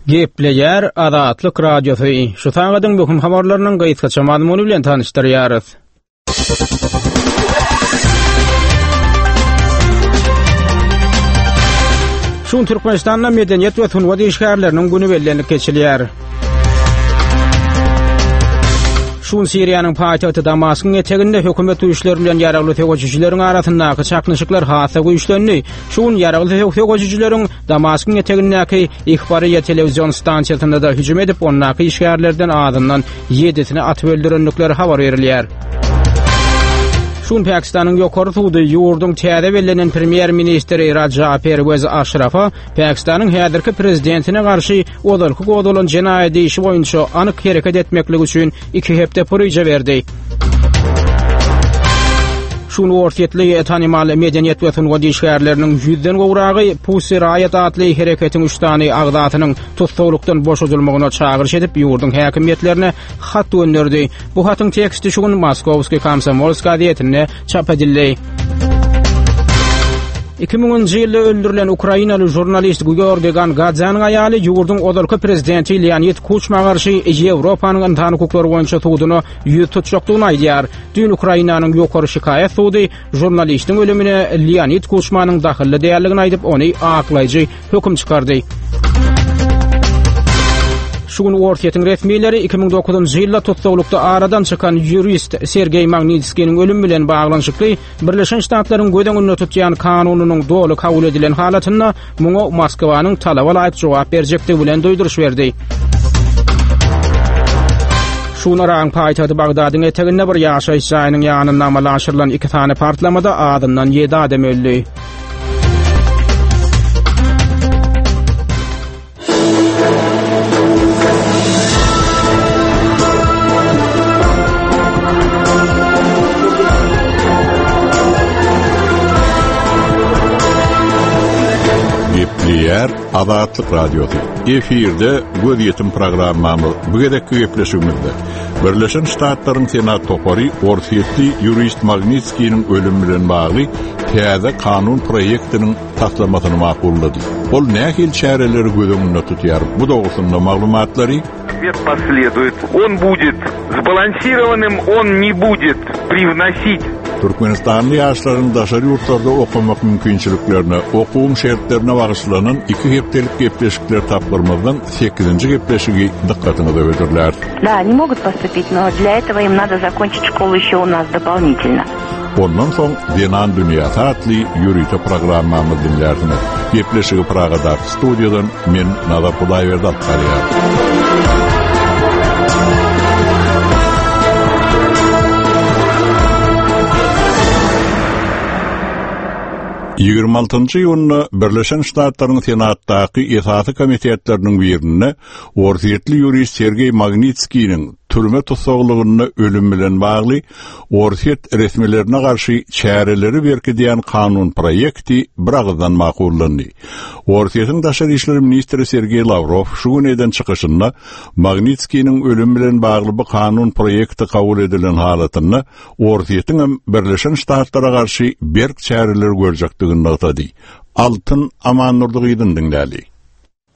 Gepleýär Azatlyk Radiosy. Şu sagadyň möhüm habarlarynyň gysgaça mazmuny bilen tanyşdyrýarys. Şu gün Türkmenistanda medeniýet we sungat işgärleriniň güni bellenilip geçilýär. Şu gün Siriýanyň paýtagty Damaskyň eteginde hökümet güýçleri bilen ýaragly söweşijileriň arasyndaky çaknyşyklar has-da güýçlendi. Şu gün ýaragly söweşijileriň Damaskyň etegindäki Ihbariýa telewizion stansiýasynda-da hüjüm edip, ondaky işgärlerden azyndan ýedisini atyp öldürendikleri habar berilýär. Şu gün Pakistanyň ýokary sudy ýurduň täze bellenen premýer-ministri Raja Perwez Aşrafa Pakistanyň häzirki prezidentine garşy ozalky gozgalan jenaýat işi boýunça anyk hereket etmeklik üçin iki hepde puryja berdi. Şu gün orsýetli tanymal medeniýet we sungat işgärleriniň ýüzden gowragy Pussy Riot atly hereketiň üç sany agzasynyň tussaglykdan boşadylmagyna çagyryş edip, ýurduň häkimiýetlerine hat gönderdi. Bu hatyň teksti şu gün Moskowskiý komsomolsk gazetinde çap edildi. 2000-nji ýylda öldürilen ukrainaly žurnalist Georgiý Gangadzäniň aýaly ýurduň ozalky prezidenti Leonid Kuçma garşy Ýewropanyň ynsan hukuklary boýunça suduna ýüz tutjakdygyny aýdýar. Düýn Ukrainanyň ýokary şikaýat sudy žurnalistiň ölümine Leonid Kuçmanyň dahylly däldigini aýdyp, ony aklaýjy höküm çykardy. Şu gün Orsýetiň resmileri 2009-njy ýylda tussaglykda aradan çykan ýurist Sergeý Magnitskiniň ölümi bilen baglanyşykly Birleşen Ştatlaryň göz öňünde tutýan kanunynyň doly kabul edilen halatynda muňa Moskwanyň talaba laýyk jogap berjekdigi bilen duýduryş berdi. Şu gün Yragyň paýtagty Bagdadyň eteginde bir ýaşaýyş jaýynyň ýanynda amala aşyrylan iki sany partlamada azyndan ýedi adam öldi. Gepleýär Azatlyk Radiosy. Efirde gözýetim programmamyz bu gezekki gepleşigimizde Birleşen Ştatlaryň Senat topary orsýetli ýurist Magnitskiniň ölümi bilen bagly täze kanun proýektiniň taslamasyny makullady. Ol nähili çäreleri göz öňünde tutýar? Bu dogrusynda maglumatlary Ответ последует. Он будет сбалансированным, он не будет привносить Türkmenistanly ýaşlaryň daşary ýurtlarda okamak mümkinçiliklerine, okuwyň şertlerine bagyşlanan iki hepdelik gepleşikler tapgyrymyzyň sekizinji gepleşigi dykgatyňyza hödürläris. Да, они могут поступить, но для этого им надо закончить школу еще у нас дополнительно. Ondan soň Zenan dünýäsi atly ýörite programmamyzy diňlärsiňiz. Gepleşigi Pragadaky studiýadan men Nazar Hudaýberdi alyp barýaryn. 26 iýunda Birleşen Ştatlaryň Senatdaky esasy komitetleriniň birinde orsýetli ýurist Sergeý Magnitskiniň türme tussaglygynda ölüm bilen bagly Orsýet resmilerine garşy çäreleri berkidýän kanun proýekti biragyzdan makullandy. Orsýetiň daşary işler ministri Sergeý Lawrow şu gün eden çykyşynda Magnitskiniň ölümi bilen bagly bu kanun proýekti kabul edilen halatynda Orsýetiňem Birleşen Ştatlara garşy berk çäreler görjekdigini nygtady. Altyn Amandurdy gyzyny diňläli.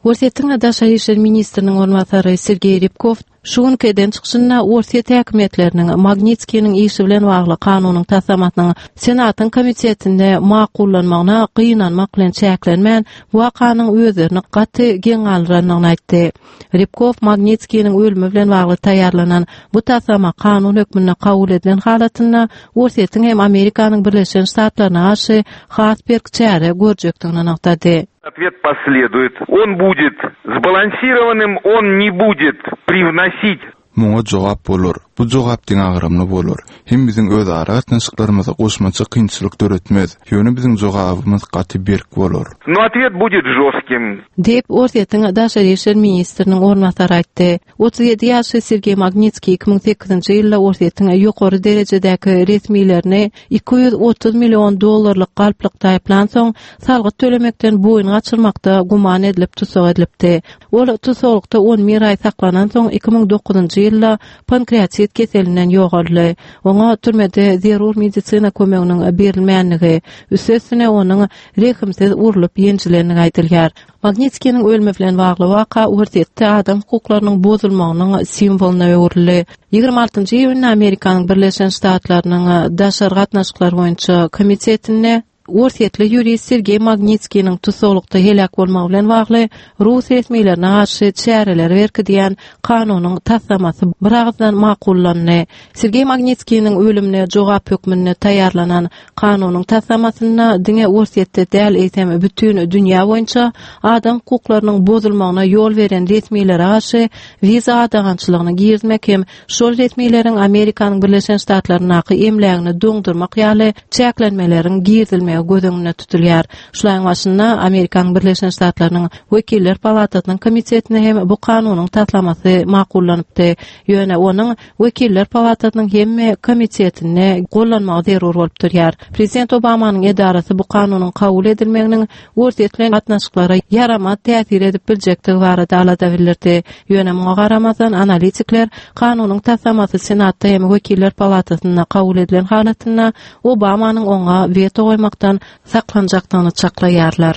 Orsýetiň Daşary işler ministriniň orunbasary Sergeý Rybkow şu günki eden çykyşynda Orsýet häkimiýetleriniň Magnitskiniň işi bilen bagly kanunyň taslamasynyň Senatyň komitetinde makullanmagyna gynanmak bilen çäklenmän, bu wakanyň özlerini gaty geň galdyrandygyny aýtdy. Rybkow Magnitskiniň ölümi bilen bagly taýýarlanan bu taslama kanun hökmünde kabul edilen halatynda Orsýetiň hem Amerikanyň Birleşen Ştatlaryna garşy has berk çäre görjekdigini nygtady. Ответ последует. Он будет сбалансированным, он не будет привносить. Muňa jogap bolar. Bu jogap deňagramly bolar. Hem biziň özara gatnaşyklarymyza goşmaça kynçylyk döretmez. Ýöne biziň jogabymyz gaty berk bolar. Но ответ будет жестким. Diýip, Orsýetiň daşary işler ministriniň orunbasary aýtdy. 37 ýaşly Sergeý Magnitskiý 2008-nji ýylda Orsýetiň ýokary derejedäki resmilerini 230 million dollarlyk galplykda aýyplansoň, salgyt tölemekden boýun gaçyrmakda güman edilip tussag edilipdi. Ol tussaglykda on bir aý saklanansoň, 2009-njy ýylda pankreatit keselinden ýogaldy. Oňa türmede zerur medisina kömeginiň berilmänligi, üstesine onuň rehimsiz urlup ýenjilendigi aýdylýar. Magnitskiniň ölümi bilen bagly waka Orsýetde adam hukuklarynyň bozulmagynyň simwolyna öwrüldi. 26 iýunda Amerikanyň Birleşen Ştatlarynyň Daşary gatnaşyklar boýunça komitetinde Orsýetli ýurist Sergeý Magnitskiniň tussaglykda heläk bolmagy bilen bagly rus resmilerine garşy çäreleri berkidýän kanunyň taslamasy biragyzdan makullandy. Sergeý Magnitskiniň ölümine jogap hökmünde taýýarlanan kanunyň taslamasynda diňe Orsýetde däl, eýsem bütin dünýä boýunça adam hukuklarynyň bozulmagyna ýol beren resmilere garşy wiza gadagançylygyny girizmek hem şol resmileriň Amerikanyň Birleşen Ştatlaryndaky emlägini doňdurmak ýaly çäklenmeleriň girizilmegi göz öňünde tutulýar. Şu aýyň başynda Amerikanyň Birleşen Ştatlarynyň Wekiller palatasynyň komitetinde hem bu kanunyň taslamasy makullanypdy. Ýöne onuň Wekiller palatasynyň hemme komitetinde gollanmagy zerur bolup durýar. Prezident Obamanyň edarasy bu kanunyň kabul edilmeginiň Orsýet bilen gatnaşyklara ýaramaz täsir edip biljekdigi barada alada bildirdi. Ýöne muňa garamazdan, analitikler kanunyň taslamasy Senatda hem Wekiller palatasynda kabul edilen halatynda Obamanyň oňa weto goýmakdan saklanjakdygyny çaklaýarlar.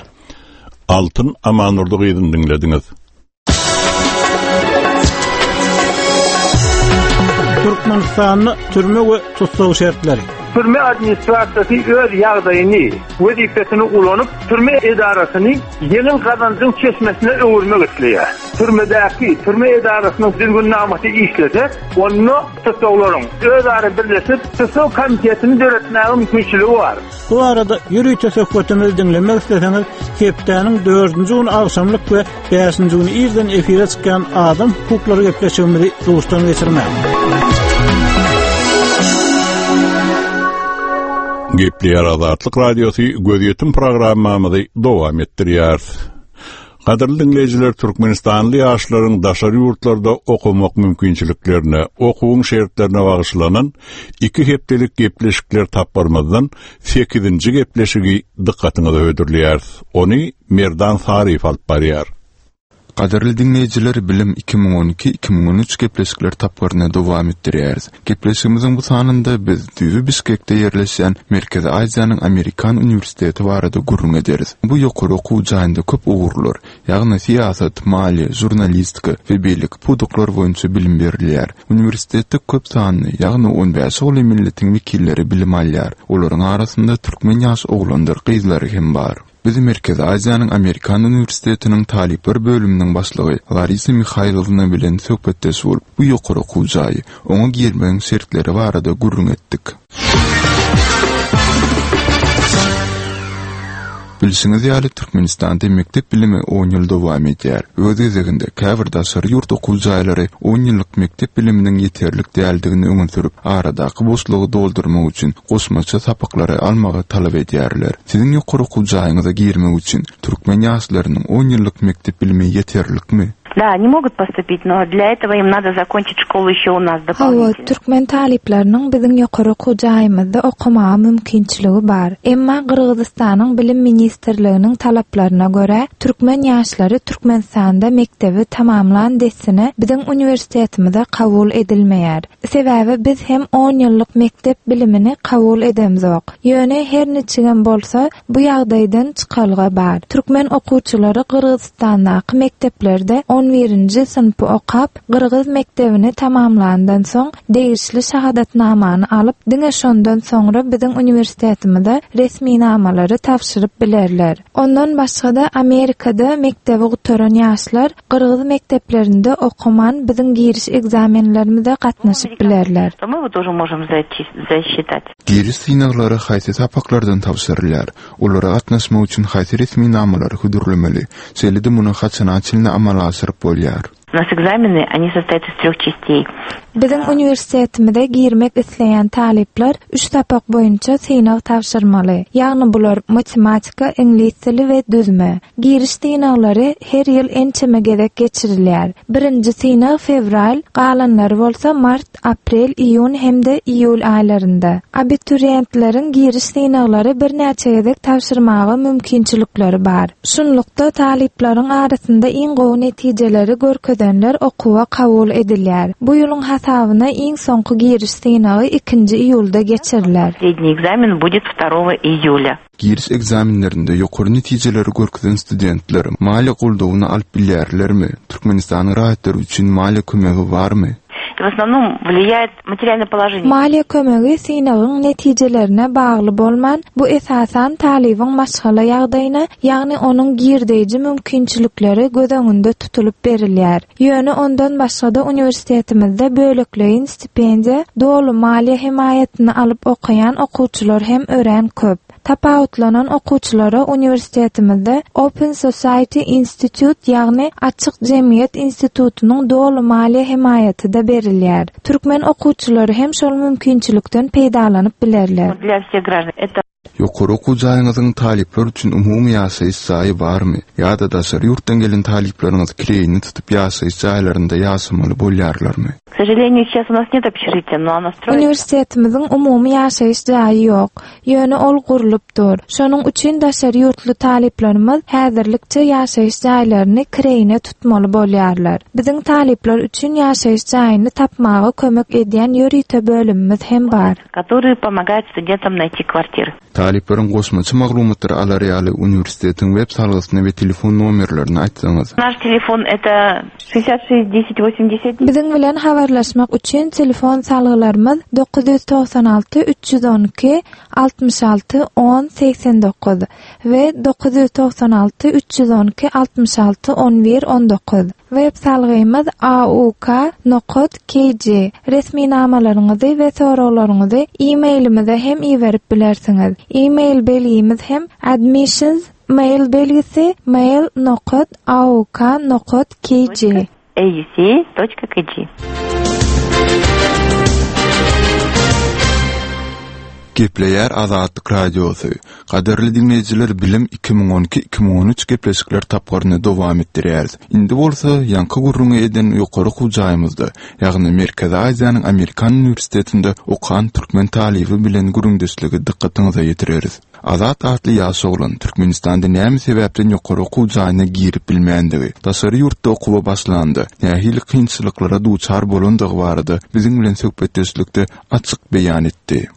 Altyn Amandurdy gyzyny diňlediňiz. Türkmenistanda türme we tussag şertleri. Türme administrasiýasy öz ýagdaýyny, wezipesini ulanyp, türme edarasyny ýeňil gazanjyň çeşmesine öwürmek isleýär. Türmedäki türme edarasynyň düzgünnamasy işlese, onda tussaglaryň özara birleşip, tussag komitetini döretmäge mümkinçiligi bar. Bu barada ýörite söhbetimizi diňlemek isleseňiz, hepdäniň dördünji güni agşamlyk we bäşinji güni irden efire çykýan Adam hukuklary gepleşigimizi duşdan geçirmäň. Gepleýär Azatlyk Radiosy gözýetim programmamyzy dowam etdirýäris. Gadyrly diňleýjiler, türkmenistanly ýaşlaryň daşary ýurtlarda okamak mümkinçiliklerine, okuwyň şertlerine bagyşlanan iki hepdelik gepleşikler tapgyrymyzdan sekizinji gepleşigi dykgatyňyza hödürleýäris. Ony Merdan Saryýew alyp barýar. Gadyrly diňleýjiler, Bilim 2012, 2013 gepleşikler tapgyryny dowam etdirýäris. Gepleşigimiziň bu sanynda biz düýbi Bişkekde ýerleşýän Merkezi Aziýanyň Amerikan uniwersiteti barada gürrüň ederis. Bu ýokary okuw jaýynda köp ugurlar, ýagny syýasat, maliýe, žurnalistika we beýleki pudaklar boýunça bilim berilýär. Uniwersitetde köp sanly, ýagny on bäşe golaý milletiň wekilleri bilim alýar. Olaryň arasynda türkmen ýaş oglandyr gyzlary hem bar. Biz Merkezi Aziýanyň Amerikan uniwersitetiniň talyplar bölüminiň başlygy Larisa Mihaýlowna bilen söhbetdeş bolup, bu ýokary okuw jaýy, oňa girmegiň şertleri barada gürrüň etdik. Bilşiňiz ýaly, Türkmenistanda mekdep bilimi on ýyl dowam edýär. Öz gezeginde, käbir daşary ýurt okuw jaýlary on ýyllyk mekdep biliminiň ýeterlik däldigini öňe sürüp, aradaky boşlugy doldurmak üçin goşmaça sapaklary almagy talap edýärler. Siziň ýokary okuw jaýyňyza girmek üçin türkmen ýaşlarynyň on ýyllyk mekdep bilimi ýeterlikmi? Da, oni mogut postupit, no dlya etogo im nado zakonçit şkolu ýeşe u nas Hawa, dopolinitelno. türkmen talyplarynyň biziň ýokary okuw jaýymyzda okamaga mümkinçiligi bar. Emma Gyrgyzystanyň Bilim ministrliginiň talaplaryna görä, türkmen ýaşlary Türkmenistanda mekdebi tamamlan dessine biziň uniwersitetimize kabul edilmeýär. Sebäbi biz hem on ýyllyk mekdep bilimini kabul edemzok. Ýöne her niçigem bolsa, bu ýagdaýdan çykalga bar. Türkmen okuwçylary Gyrgyzystandaky mekdeplerde on birinji synpy okap, gyrgyz mekdebini tamamlandan soň, degişli şahadatnamany alyp, diňe şondan soňra biziň uniwersitetimize resminamalary tabşyryp bilerler. Ondan başga-da Amerikada mekdebi gutaran ýaşlar gyrgyz mekdeplerinde okaman biziň giriş ekzamenlerimize gatnaşyp bilerler. Giriş synaglary haýsy sapaklardan tabşyrylýar? Olara gatnaşmak üçin haýsy resminamalary hödürlemeli? Şeýle-de muny haçana çenli amala aşyryp bolýar? U nas ekzameny, oni sostoýat iz trýoh çasteý. Biziň uniwersitetimize girmek isleýän talyplar üç sapak boýunça synag tabşyrmaly. Ýagny bular matematika, iňlis dili we düzme. Giriş synaglary her ýyl ençeme gezek geçirilýär. Birinji synag fewral, galanlary bolsa mart, aprel, iýun hem-de iýul aýlarynda. Abituriýentleriň giriş synaglary birnäçe gezek tabşyrmaga mümkinçilikleri bar. Şunlukda, talyplaryň arasynda iň gowy netijeleri görkezýän. görkezenler okuwa kabul edilýär. Bu ýylyň hasabyna iň soňky giriş synagy ikinji iýulda geçiriler. Последний экзамен будет второго июля. Giriş ekzamenlerinde ýokary netijeleri görkezen studentler maliýe goldawyny alyp bilýärlermi? Türkmenistanyň raýatlary üçin maliýe kömegi barmy? W osnovnom wliýaet materialnoe položeniýe. Maliýe kömegi synagyň netijelerine bagly bolman, bu esasan talybyň maşgala ýagdaýyna, ýagny onuň girdeýji mümkinçilikleri göz öňünde tutulyp berilýär. Ýöne ondan başga-da uniwersitetimizde bölekleýin stipendiýa, doly maliýe hemaýatyny alyp okaýan okuwçylar hem örän köp. Tapawutlanan okuwçylara uniwersitetimizde Open Society Institute ýagny Açyk jemgyýet institutynyň doly maliýe hemaýaty-da berilýär. Türkmen okuwçylary hem şol mümkinçilikden peýdalanyp bilerler. Dla wseh graždan eto. Ýokary okuw jaýyňyzyň talyplar üçin umumy ýaşaýyş jaýy barmy ýa-da daşary ýurtdan gelen talyplaryňyz kireýine tutup ýaşaýyş jaýlarynda ýaşamaly bolýarlarmy? K sožaleniýu, seýças u nas net obşežitiýa, no ono stroýitsa. Uniwersitetimizň umumy ýaşaýyş jaýy ýok. Ýöne ol gurlup dur. Şonuň üçin daşary ýurtly talyplarymyz häzirlikçe ýaşaýyş jaýlaryny kireýine tutmaly bolýarlar. Biziň talyplar üçin ýaşaýyş jaýyny tapmaga kömek edýän ýörite bölümimiz hem bar. Kotoryý pomogaet studentam naýti kwartiry. Talyplaryň goşmaça maglumatlary alar ýaly uniwersitetiň web salgysyny we telefon nomerlerini aýtsaňyz. Naş telefon eta şestdesýat şest deset wosemdesýat. Biziň bilen habarlaşmak üçin telefon salgylarymyz 996 312 66 10 89 we 996 312 66 11 19. Web salgymyz auk nokat kg. Resminamalaryňyzy we soraglaryňyzy e-mailimize hem iberip bilersiňiz. E-mail belgimiz hem admissions mail belgisi mail nokat auk nokat kg. Auc toçka kg. Gepleýär Azatlyk Radiosy. Gadyrly diňleýjiler Bilim 2012, 2013 gepleşikler tapgyryny dowam etdirýäris. Indi bolsa ýaňky gürrüňi eden ýokary okuw jaýymyzda, ýagny Merkezi Aziýanyň Amerikan uniwersitetinde okan türkmen talyby bilen gürrüňdeşligi dykgatyňyza ýetireris. Azat atly ýaş oglan Türkmenistanda näme sebäpden ýokary okuw jaýyna girip bilmändigi, daşary ýurtda okuwa başlanda nähili kynçylyklara duçar bolandygy barada biziň bilen söhbetdeşlikde açyk beýan etdi.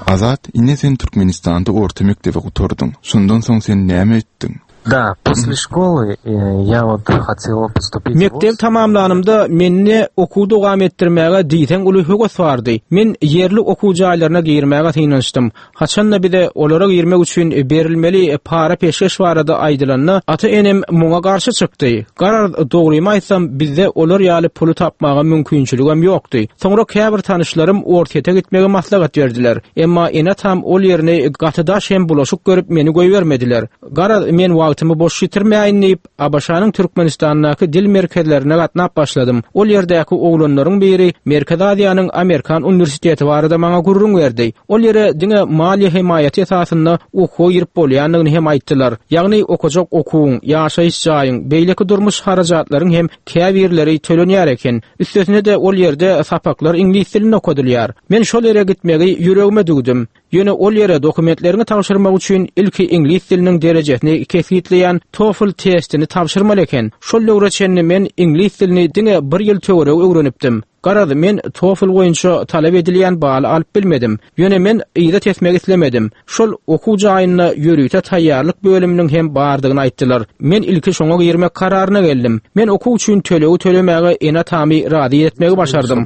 Azat, ine sen Türkmenistanda orta mekdebi gutardyň. Şondan soň sen näme etdiň? Da, posle şkoly ýa wot hotel postupit w Mekdebi tamamlanymda mende okuwy dowam etdirmäge diýseň uly höwes bardy. Men ýerli okuw jaýlaryna girmäge synanyşdym. Haçan-da bize olara girmek üçin berilmeli para-peşgeş barada aýdylanda, ata-enem muňa garşy çykdy. Garaz, dogrymy aýtsam, bizde olar ýaly puly tapmaga mümkinçiligem ýokdy. Soňra käbir tanyşlarym Orsýete gitmegi maslahat berdiler. Emma ene-atam ol ýerini gaty daş hem bulaşyk görüp meni goýbermediler. Garaz, men wagtymy boş ýitirmäýin diýip, ABŞ-nyň Türkmenistandaky dil merkezlerine gatnap başladym. Ol ýerdäki oglanlaryň biri Merkezi Aziýanyň Amerikan uniwersiteti barada maňa gürrüň berdi. Ol ýere diňe maliýe hemaýaty esasynda okuwa girip bolýandygyny hem aýtdylar. Ýagny okajak okuwyň, ýaşaýyş jaýyň, beýleki durmuş harajatlaryň hem käbirleri tölenýär eken. Üstesine-de ol ýerde sapaklar iňlis dilinde okadylýar. Men şol ýere gitmegi ýüregime düwdüm. Ýöne ol ýere dokumentleriňi tabşyrmak üçin ilki iňlis diliniň derejesini kesgitleýän TOEFL testini tabşyrmaly eken. Şol döwre çenli men iňlis dilini diňe bir ýyl töweregi öwrenipdim. Garaz, men TOEFL boýunça talap edilýän baly alyp bilmedim. Ýöne men yza tesmek islemedim. Şol okuw jaýynda ýörite taýýarlyk bölüminiň hem bardygyny aýtdylar. Men ilki şoňa girmek kararyna geldim. Men okuw üçin tölegi tölemäge ene-atamy razy etmegi başardym.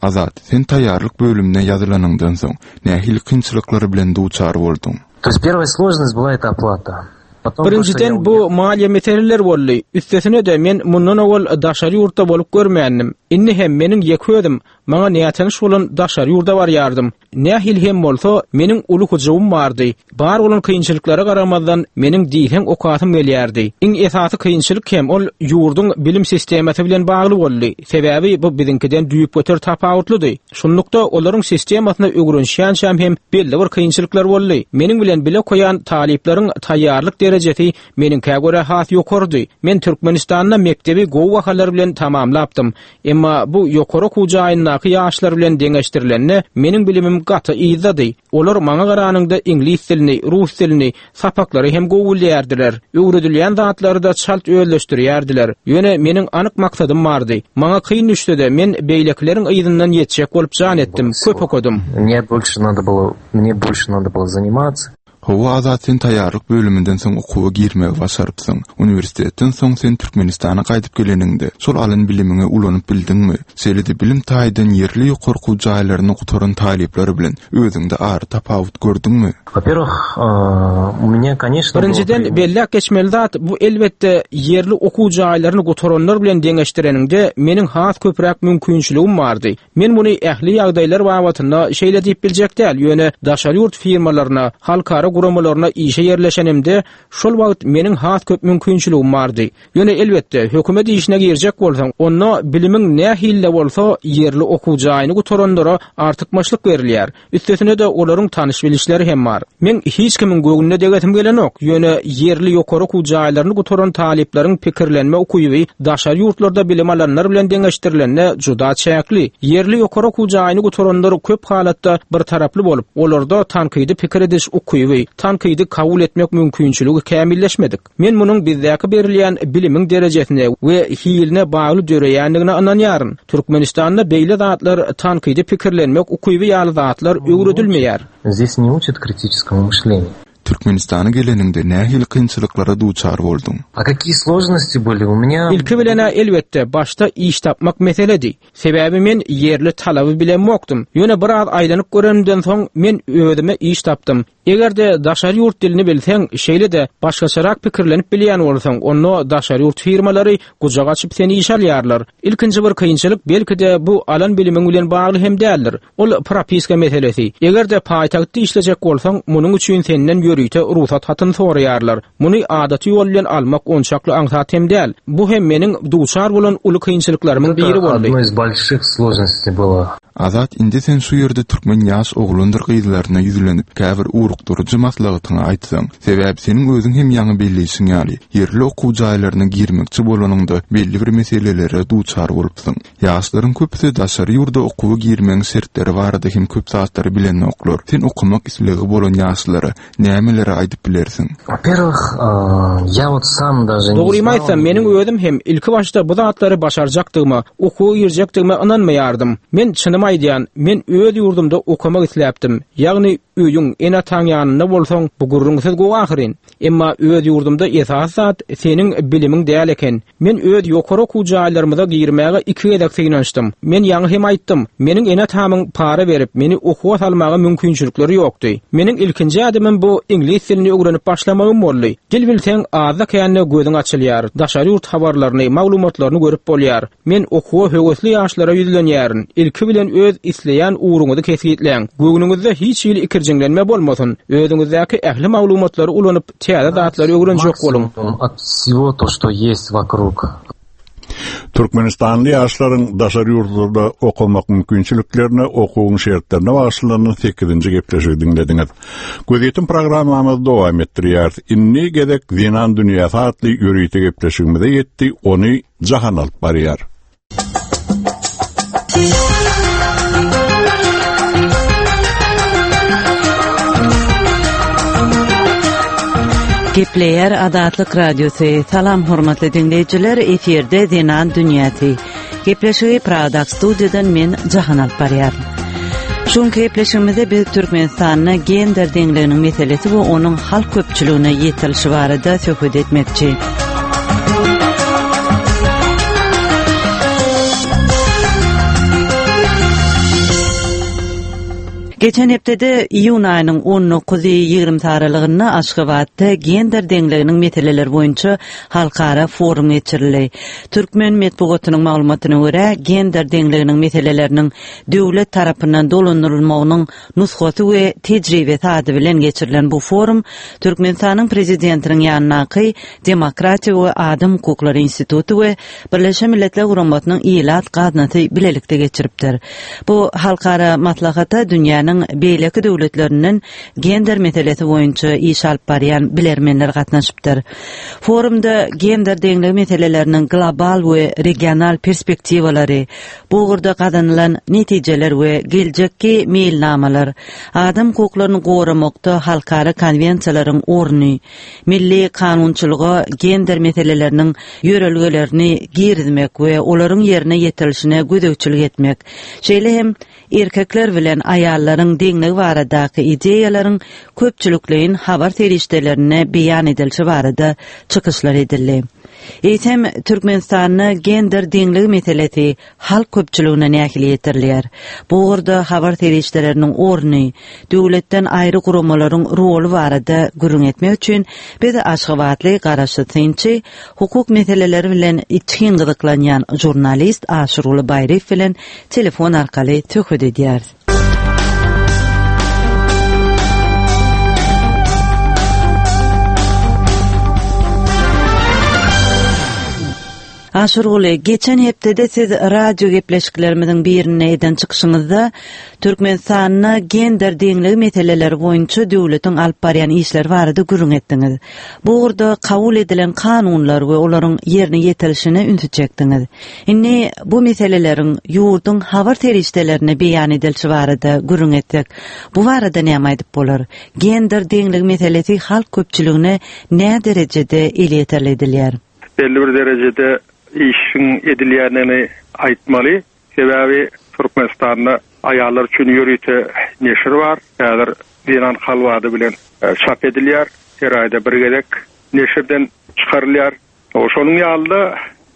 Azat, sen taýýarlyk bölümine ýazylanyňdan soň, nähili kynçylyklar bilen duçar bolduň? To ýest perwaýa složnost byla eta oplata. Potom to, Birinjiden, şto ýa bu uýehal. maliýe meseleler boldy. Üstesine-de, men mundan owal daşary ýurtda bolup görmändim. Indi hem meniň ýeke özüm, maňa nätanyş bolan daşary ýurda barýardym. Nähili hem bolsa, meniň uly hyjuwym bardy. Bar bolan kynçylyklara garamazdan, meniň diýseň okasym gelýärdi. Iň esasy kynçylyk hem ol ýurduň bilim sistemasy bilen bagly boldy. Sebäbi bu biziňkiden düýpgöter tapawutlydy. Şunlukda, olaryň sistemasyna öwrenişýänçäm hem belli bir kynçylyklar boldy. Meniň bilen bile okaýan talyplaryň taýýarlyk derejesi meniňkä görä has ýokarydy. Men Türkmenistanda mekdebi gowy bahalar bilen tamamlapdym. Emma bu ýokary okuw jaýyndaky ýaşlar bilen deňeşdirilende, meniň bilimim. bilimim gaty yzdady. Olar maňa garanyňda iňlis dilini, rus dilini, sapaklary hem gowy bilýärdiler. Öwredilýän zatlary-da çalt özleşdirýärdiler. Ýöne meniň anyk maksadym bardy. Maňa kyn düşse-de, men beýlekileriň yzyndan ýetjek bolup jan etdim, köp okadym. Mne bolşe nado bylo, mne bolşe nado bylo zanimatsa. Hawa Azat sen taýýarlyk bölüminden soň okuwa girmegi başarypsyň. Uniwersitetden soň sen Türkmenistana gaýdyp geleniňde, şol alan bilimiňi ulanyp bildiňmi? Şeýle-de bilim taýdan ýerli ýokary okuw jaýlaryny gutaran talyplar bilen özüňde ara tapawut gördüňmi? Во-первых, u меня, конечно, Birinjiden, belläp geçmeli zat, bu elbetde, ýerli okuw jaýlaryny gutaranlar bilen deňeşdireniňde, meniň has köpräk mümkinçiligim bardy. Men muny ähli ýagdaýlar babatynda şeýle diýip biljek däl, ýöne daşary ýurt firmalaryna, halkara guramalaryna işe ýerleşenimde, şol wagt meniň has köp mümkinçiligim bardy. Ýöne elbetde, hökümet işine girjek bolsaň, onda bilimiň nähili-de bolsa, ýerli okuw jaýyny gutaranlara artykmaçlyk berilýär. Üstesine-de olaryň tanyş-bilişleri hem bar. Meň hiç kimiň göwnüne degesim gelenok, ýöne ýerli ýokary okuw jaýlaryny gutaran talyplaryň pikirlenme ukyby daşary ýurtlarda bilim alanlar bilen deňeşdirilende juda çäkli. Ýerli ýokary okuw jaýyny gutaranlar köp halatda birtaraply bolup, olarda tankydy pikir ediş ukyby, tankydy kabul etmek mümkinçiligi kämilleşmedik. Men munuň bizdäki berilýän bilimiň derejesine we hiline bagly döreýändigine ynanýaryn. Türkmenistanda beýle zatlar tankydy pikirlenmek ukyby ýaly zatlar öwredilmeýär. Здесь не учат критическому мышлению. Türkmenistana geleniňde nähili kynçylyklara duçar bolduň? A kakiýe složnosti byli u menýa? Ilki bilen-ä elbetde, başda iş tapmak meseledi. Sebäbi men ýerli talaby bilemokdym. Ýöne biraz aýlanyp görenimden soň men özüme iş tapdym. Eger-de daşary ýurt dilini bilseň, şeýle-de başgaçarak pikirlenip bilýän bolsaň, onda daşary ýurt firmalary gujak açyp seni işe alýarlar. Ilkinji bir kynçylyk belki-de bu alan bilimiň bilen bagly hem däldir. Ol propiska meselesi. Eger-de paýtagtda işlejek bolsaň, munuň üçin senden ýörite rugsat hatyny soraýarlar. Muny adaty ýol bilen almak onçakly aňsat hem däl. Bu hem meniň duçar bolan uly kynçylyklarymyň biri boldy. Одно из больших сложностей было. Azat indi sen şu ýerde türkmen ýaş oglandyr gyzlaryna ýüzlenip käbir ugrukdyryjy maslahatyňy aýtsaň. Sebäbi seniň özüň hem ýaňy belleýşiň ýaly, ýerli okuw jaýlaryna girmekçi bolanyňda belli bir meselelere duçar bolupsyň. Ýaşlaryň köpüsi daşary ýurda okuwa girmegiň şertleri barada hem köp zatlary bilenoklar. Sen okamak islegi bolan ýaşlara Nämeleri aýdyp bilersiň? Во-первых, я вот sam даже не Dogrymy aýtsam, meniň özüm hem ilki başda bu zatlary başarjakdygyma, okuwa girjekdigime ynanmaýardym. Men çynymy aýdýan, men öz ýurdumda okamak isläpdim. Ýagny öýüň, ene-ataň ýanynda bolsaň, bu gürrüňsiz gowy ahyryn. Emma öz ýurdumda esasy zat seniň bilimiň däl eken. Men öz ýokary okuw jaýlarymyza girmäge iki gezek synanyşdym. Men ýaňy hem aýtdym, meniň ene-atamyň para berip, meni okuwa salmaga mümkinçilikleri ýokdy. Meniň ilkinji ädimim bu iňlis dilini öwrenip başlamagym boldy. Dil bilseň, azda-kände gözüň açylýar, daşary ýurt habarlaryny, maglumatlaryny görüp bolýar. Men okuwa höwesli ýaşlara ýüzlenýärin, ilki bilen öz isleýän ugruňyzy kesgitläň. Göwnüňizde hiç hili ikirjiňlenme bolmasyn. Özüňizdäki ähli maglumatlary ulanyp, täze zatlary öwrenjek boluň. От всего то, что есть вокруг. Türkmenistanly ýaşlaryň daşary ýurtlarda okamak mümkinçiliklerine, okuwyň şertlerine bagyşlanan sekizinji gepleşigi diňlediňiz. Gözýetim programmamyzy dowam etdirýäris. Indi gezek Zenan dünýäsi atly ýörite gepleşigimize ýetdi, ony Jahan alyp barýar. Gepleýär Azatlyk Radiosy. Salam hormatly diňleýjiler, efirde Zenan dünýäsi. Gepleşigi Pragadaky studiýadan men Jahan alyp barýaryn. Şu günki gepleşigimizde biz Türkmenistanda gender deňliginiň meselesi we onuň halk köpçüligine ýetirilişi barada söhbet etmekçi. Geçen hepdede iýun aýynyň 19-y 20 aralygynda Aşgabatda gender deňliginiň meseleleri boýunça halkara forum geçirildi. Türkmen metbugatynyň maglumatyna görä, gender deňliginiň meseleleriniň döwlet tarapyndan dolandyrylmagynyň nusgasy we tejribesi ady bilen geçirilen bu forum Türkmenistanyň Prezidentiniň ýanyndaky Demokratiýa we adam hukuklary instituty we Birleşen Milletler Guramasynyň Ilat gaznasy bilelikde geçiripdir. Bu halkara maslahata dünýäniň. dünýäniň beýleki döwletlerinden gender meselesi boýunça iş alyp barýan bilermenler gatnaşypdyr. Forumda gender deňligi meseleleriniň global we regional perspektiwalary, bu ugurda gazanylan netijeler we geljekki meýilnamalar, adam hukuklaryny goramakda halkara konwensiýalaryň orny, milli kanunçylyga gender meseleleriniň ýörelgelerini girizmek we olaryň ýerine ýetirilişine gözegçilik etmek, şeýle hem erkekler bilen aýallaryň deňligi baradaky ideýalaryň köpçülikleýin habar serişdelerinde beýan edilişi barada çykyşlar edildi. Eýsem, Türkmenistanda gender deňligi meselesi halk köpçüligine nähili ýetirilýär? Bu ugurda habar serişdeleriniň orny, döwletden aýry guramalaryň roly barada gürrüň etmek üçin biz aşgabatly garaşsyz synçy, hukuk meseleleri bilen içgin gyzyklanýan žurnalist Aşyrguly Baýryýew bilen telefon arkaly söhbet edýäris. Aşyrguly, geçen hepdede siz radio gepleşiklerimiziň birinde eden çykyşyňyzda Türkmenistanda gender deňligi meseleleri boýunça döwletiň alyp barýan işleri barada gürrüň etdiňiz. Bu ugurda kabul edilen kanunlar we olaryň ýerine ýetirilişine ünsi çekdiňiz. Indi bu meseleleriň ýurduň habar serişdelerinde beýan edilişi barada gürrüň etsek, bu barada näme aýdyp bolar? Gender deňligi meselesi halk köpçüligine näderejede elýeterli edilýär? Belli bir derejede işiň edilýändigini aýtmaly. Sebäbi Türkmenistanda aýallar üçin ýörite neşir bar. Häzir Zenan kalby ady bilen çap edilýär. Her aýda bir gezek neşirden çykarylýar. Şonuň ýaly-da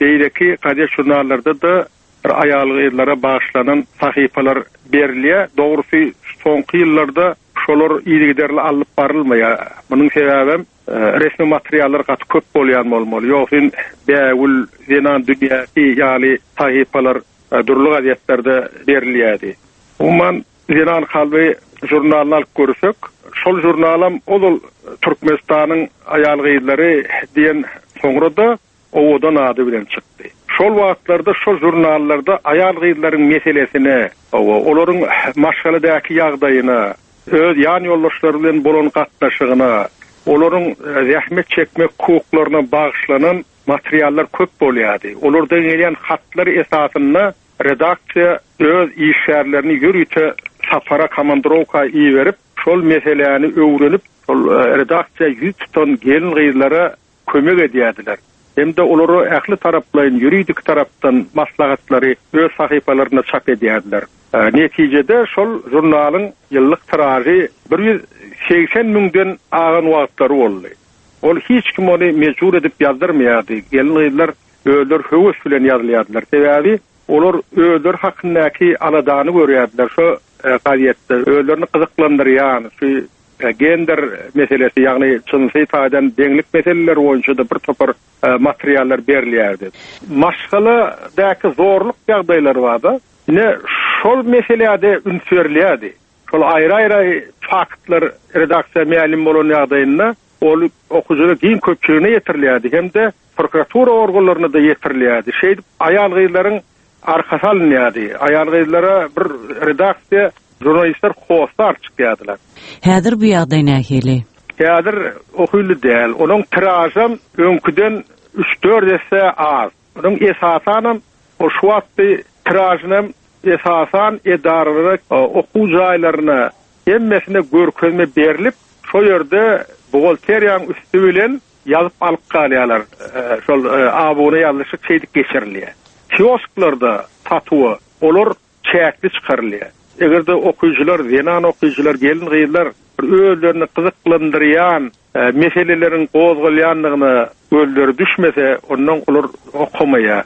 beýleki gazet-žurnallarda-da bir aýal-gyzlara bagyşlanan sahypalar berilýär. Dogrusy, soňky ýyllarda şolar yzygiderli alnyp barylmaýar. Munuň sebäbem resmi materiallar gaty köp bolýan bolmaly. Ýogsyn Bägül, Zenan dünýäsi ýaly sahypalar dürli gazetlerde berilýärdi. Umuman, Zenan kalby žurnalyny alyp görsek, şol žurnalam ozal Türkmenistanyň aýal-gyzlary diýen soňra-da Owadan ady bilen çykdy. Şol wagtlarda şol žurnallarda aýal-gyzlaryň meselesine, hawa, olaryň maşgaladaky ýagdaýyna, öz ýan ýoldaşlary bilen bolan gatnaşygyna, olaryň zähmet çekmek hukuklaryna bagyşlanan materiallar köp bolýardy. Olardan gelýän hatlar esasynda redaksiýa öz işgärlerini ýörite sapara, komandrowka iberip, şol meseläni öwrenip, şol redaksiýa ýüz tutan gelin-gyzlara kömek edýärdiler hem-de olara ähli taraplaýyn ýuridik tarapdan maslahatlary öz sahypalarynda çap edýärdiler. Netijede şol žurnalyň ýyllyk tiražy 180 müňden agan wagtlary boldy. Ol hiç kim ony mejbur edip ýazdyrmaýardy, gelin-gyzlar özleri höwes bilen ýazylýardylar. Sebäbi olar özleri hakyndaky aladany görýärdiler şo gazetde, özlerini gyzyklandyrýan şu Gender meselesi, ýagny jynsy taýdan deňlik meseleleri boýunça-da bir topar materiallar berilýärdi. Maşgaladaky zorluk ýagdaýlary barda, ine, şol meselä-de üns berilýärdi. Şol aýry-aýry faktlar redaksiýa mälim bolan ýagdaýynda, ol okyjylar giň köpçüligine ýetirilýärdi hem-de prokuratura organlaryna-da ýetirilýärdi. Şeýdip, aýal-gyzlaryň arkasy alynýardy. Aýal-gyzlara bir redaksiýa, žurnalistler hossar çykýardylar. Häzir bu ýagdaý nähili? Häzir o hili däl. Onuň tiražam öňküden üç-dört esse az. Onuň esasanam o şu wagtky tiražynam esasan edaralara, okuw jaýlaryna hemmesine görkezme berlip, şo ýerde buhgalteriýanyň üsti bilen Ýazyp alyp galýarlar. Şol abuna ýazlyşyk şeýdip geçirilýär. Kiosklarda satuwa olar çäkli çykarylýar. Eger-de okyjylar, zenan okyjylar, gelin-gyzlar bir özlerini gyzyklandyrýan meseleleriň gozgalýandygyna gözleri düşmese, ondan olar okamaýar.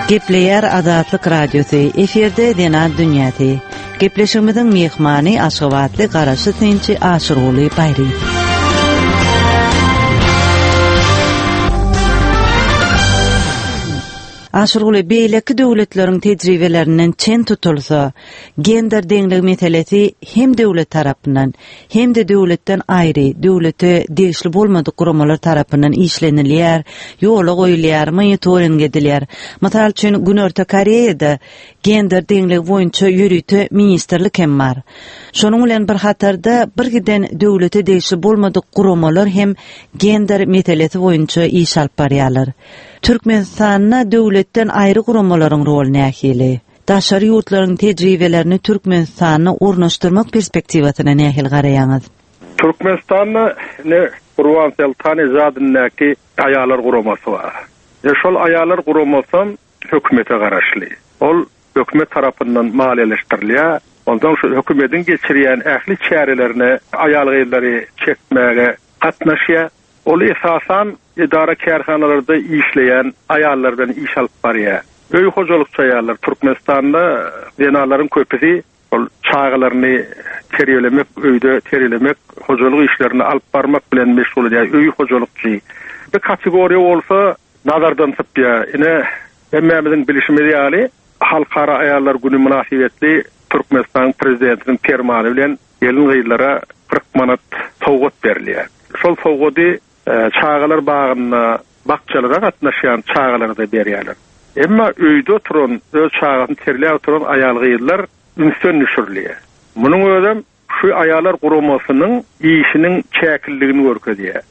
Gepleýär Azatlyk Radiosy, efirde Zenan dünýäsi. Gepleşigimiziň myhmany Aşgabatly garaşsyz synçy Aşyrguly Baýryýew. Aşyrguly, beýleki döwletleriň tejribelerinden çen tutulsa, gender deňligi meselesi hem döwlet tarapyndan, hem-de döwletden aýry, döwlete degişli bolmadyk guramalar tarapyndan işlenilýär, ýola goýulýar, monitoring edilýär. Mysal üçin, Günorta Koreýada gender deňligi boýunça ýörite ministrlik hem bar. Şonuň bilen bir hatarda bir giden döwlete degişli bolmadyk guramalar hem gender meselesi boýunça iş alyp barýarlar. Türkmenistanda döwletden aýry guramalaryň roly nähili? Daşary ýurtlaryň tejribelerini Türkmenistanda ornaşdyrmak perspektiwasyna nähili garaýaňyz? Türkmenistanda ine Gurban Soltanejadyndaky Aýallar guramasy bar. Ine şol Aýallar guramasam hökümete garaşly. Ol hökümet tarapyndan maliýeleşdirilýär. Onsoň şu hökümediň geçirýän ähli çärelerine aýal-gyzlary çekmäge gatnaşýar. Ol esasan edara-kärhanalarda işleýän aýallar bilen iş alyp barýar. Öý hojalykçy aýallar Türkmenistanda zenanlaryň köpüsi ol çagalaryny terbiýelemek, öýde terbiýelemek, hojalyk işlerini alyp barmak bilen meşgul edýär, öý hojalykçy. Bir kategoriýa bolsa nazardan sypýar. Ine, hemmämiziň bilşimiz ýaly, Halkara aýallar güni mynasybetli Türkmenistanyň Prezidentiniň Permany bilen Gelin-gyzlara 40 manat sowgat berilýär. Şol sowgady çagalar bagynda, bakjalara gatnaşýan çagalara-da berýärler. Emma öýde oturan, öz çagasyny terbiýeläp oturan aýal-gyzlar ünsden düşürilýär. Munuň özem şu aýallar guramasynyň işiniň çäkliligini görkezýär.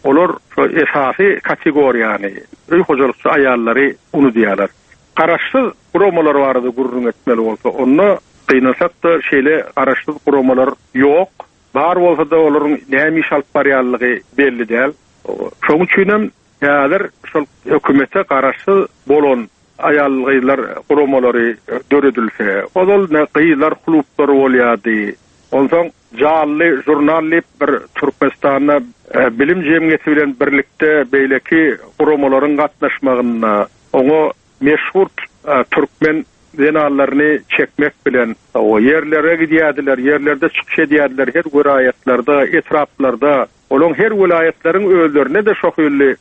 Olar şu esasy kategoriýany, öý hojalykçy aýallary unudýarlar. Garaşsyz guramalar barada gürrüň etmeli bolsa, onda gynansak-da şeýle garaşsyz guramalar ýok. Bar bolsa-da olaryň näme iş alyp barýanlygy belli däl. Şonuň üçinem häzir şol hökümete garaşsyz bolan aýal-gyzlar guramalary döredilse, ozal ne gyzlar klublary bolýardy, onsoň Janly žurnal diýip bir Türkmenistanda bilim jemgyýeti bilen birlikde beýleki guramalaryň gatnaşmagynda Oňa meşhur türkmen zenanlaryny çekmek bilen, ýerlere gidýärdiler, ýerlerde çykyş edýärdiler, her welaýatlarda, etraplarda. Olaň her welaýatlaryň özlerinde-de şo hili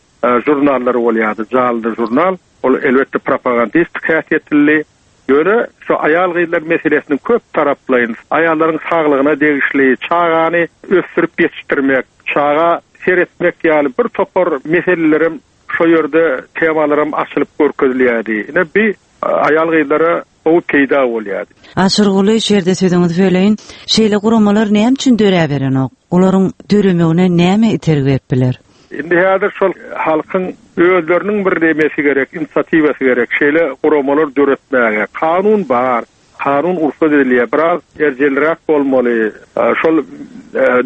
žurnallary bolýardy, Janly žurnal. Ol, elbetde, propagandistik häsiýetlidi. Ýöne şu aýal-gyzlar meselesiniň köp taraplaýyn, aýallaryň saglygyna degişli, çagany ösdürip ýetişdirmek, çaga seretmek ýaly bir topar meselelerem Şo ýerde temalaram açylyp görkezilýärdi. Ine bi aýal-gyzlara gowy peýda bolýardy. Aşyrguly, şu ýerde sözüňizi böleýin. Şeýle guramalar näme üçin döräberenok? Olaryň döremegine näme itergi berip biler? Indi häzir şol halkyň özleriniň bir nemesi gerek, inisiatiwasy gerek şeýle guramalar döretmäge. Kanun bar. Kanun rugsat edilýär. Biraz erjelräk bolmaly. Şol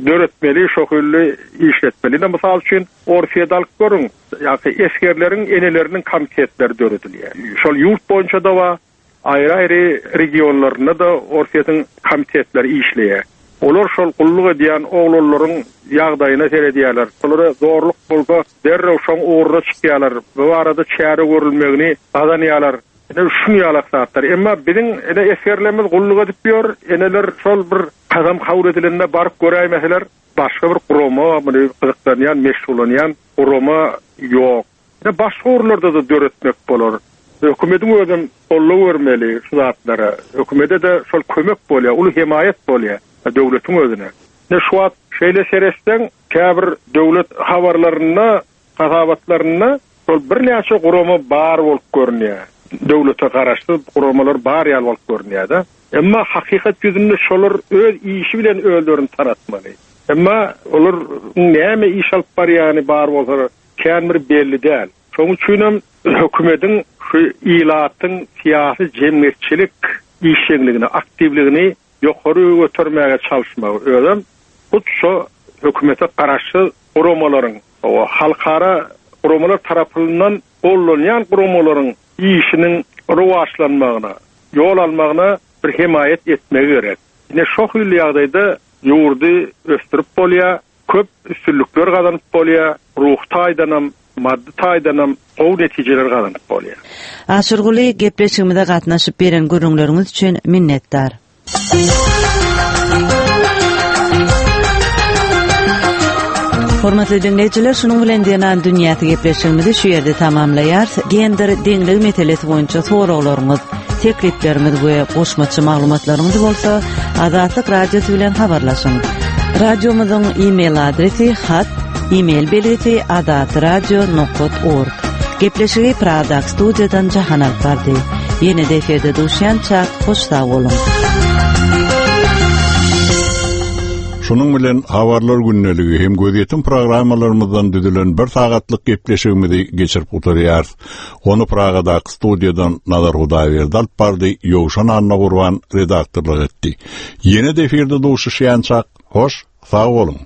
döretmeli, şo hili işletmeli. Ine, mysal üçin, Orsýeti alyp görüň. Ýa-da esgerleriň eneleriniň komitetleri döredilýär. Şol ýurt boýunça-da bar, aýry-aýry regionlarynda-da Orsýetiň komitetleri işleýär. Olar şol gulluk edýän oglanlaryň ýagdaýyna seredýärler. Şolara zorluk bolsa, derrew şoň ugruna çykýarlar. Bu barada çäre görülmegini gazanýarlar. Ine şuň ýalak zatlar. Emma biziň ine esgerlerimiz gulluk edip ýör, eneler şol bir kasam kabul edilende baryp göräýmeseler, başga bir gurama muny gyzyklanýan, meşgullanýan gurama ýok. Ine başga ugurlarda-da döretmek bolar. Hökümediň özem goldaw bermeli şu zatlara. Hökümede-de şol kömek bolýar, uly hemaýat bolýar döwletiň özüne. Ine şu wagt şeýle seretseň, käbir döwlet habarlarynda Hasabatlarynda şol birnäçe gurama bar bolup görünýär. Döwlete garaşsyz guramalar bar ýaly bolup görünýär-de. Emma hakykat ýüzünde şolar öz işi bilen özlerini tanatmaly. Emma olaryň näme iş alyp barýany bar bolsa kän bir belli däl. Şonuň üçinem hökümediň şu ilatyň syýasy-jemgyýetçilik işjeňligini, aktiwligini ýokary götermäge çalyşmagy, özem hut şo hökümete garaşsyz guramalaryň, halkara guramalar tarapyndan gollanýan guramalaryň işiniň rowaçlanmagyna, ýol almagyna bir hemaýat etmegi gerek. Ine şo hili ýagdaýda ýurdy ösdürip bolýar, köp üstünlikler gazanyp bolýar, ruhy taýdanam, maddy taýdanam gowy netijeler gazanyp bolýar. Aşyrguly, gepleşigimize gatnaşyp beren gürrüňleriňiz üçin minnetdar. Hormatly diňleýjiler, şunuň bilen Zenan dünýäsi gepleşigimizi şu ýerde tamamlaýarys. Gender deňligi meselesi boýunça soraglaryňyz, teklipleriňiz we goşmaça maglumatlaryňyz bolsa Azatlyk Radiosy bilen habarlaşyň. Radiomyzyň e-mail adresi hat e-mail belgisi azatradio.org. Gepleşigi Pragadaky studiýadan Jahan alyp bardy. Ýene-de efirde duşýançak, hoş sag boluň. Şunuň bilen Habarlar gündeligi hem gözýetim programmalarymyzdan düzülen bir sagatlyk gepleşigimizi geçirip gutarýarys. Ony Pragadaky studiýadan Nazar Hudaýberdi alyp bardy, Ýowşan Annagurban redaktorlyk etdi. Ýene-de efirde duşuşýançak, hoş, sag boluň!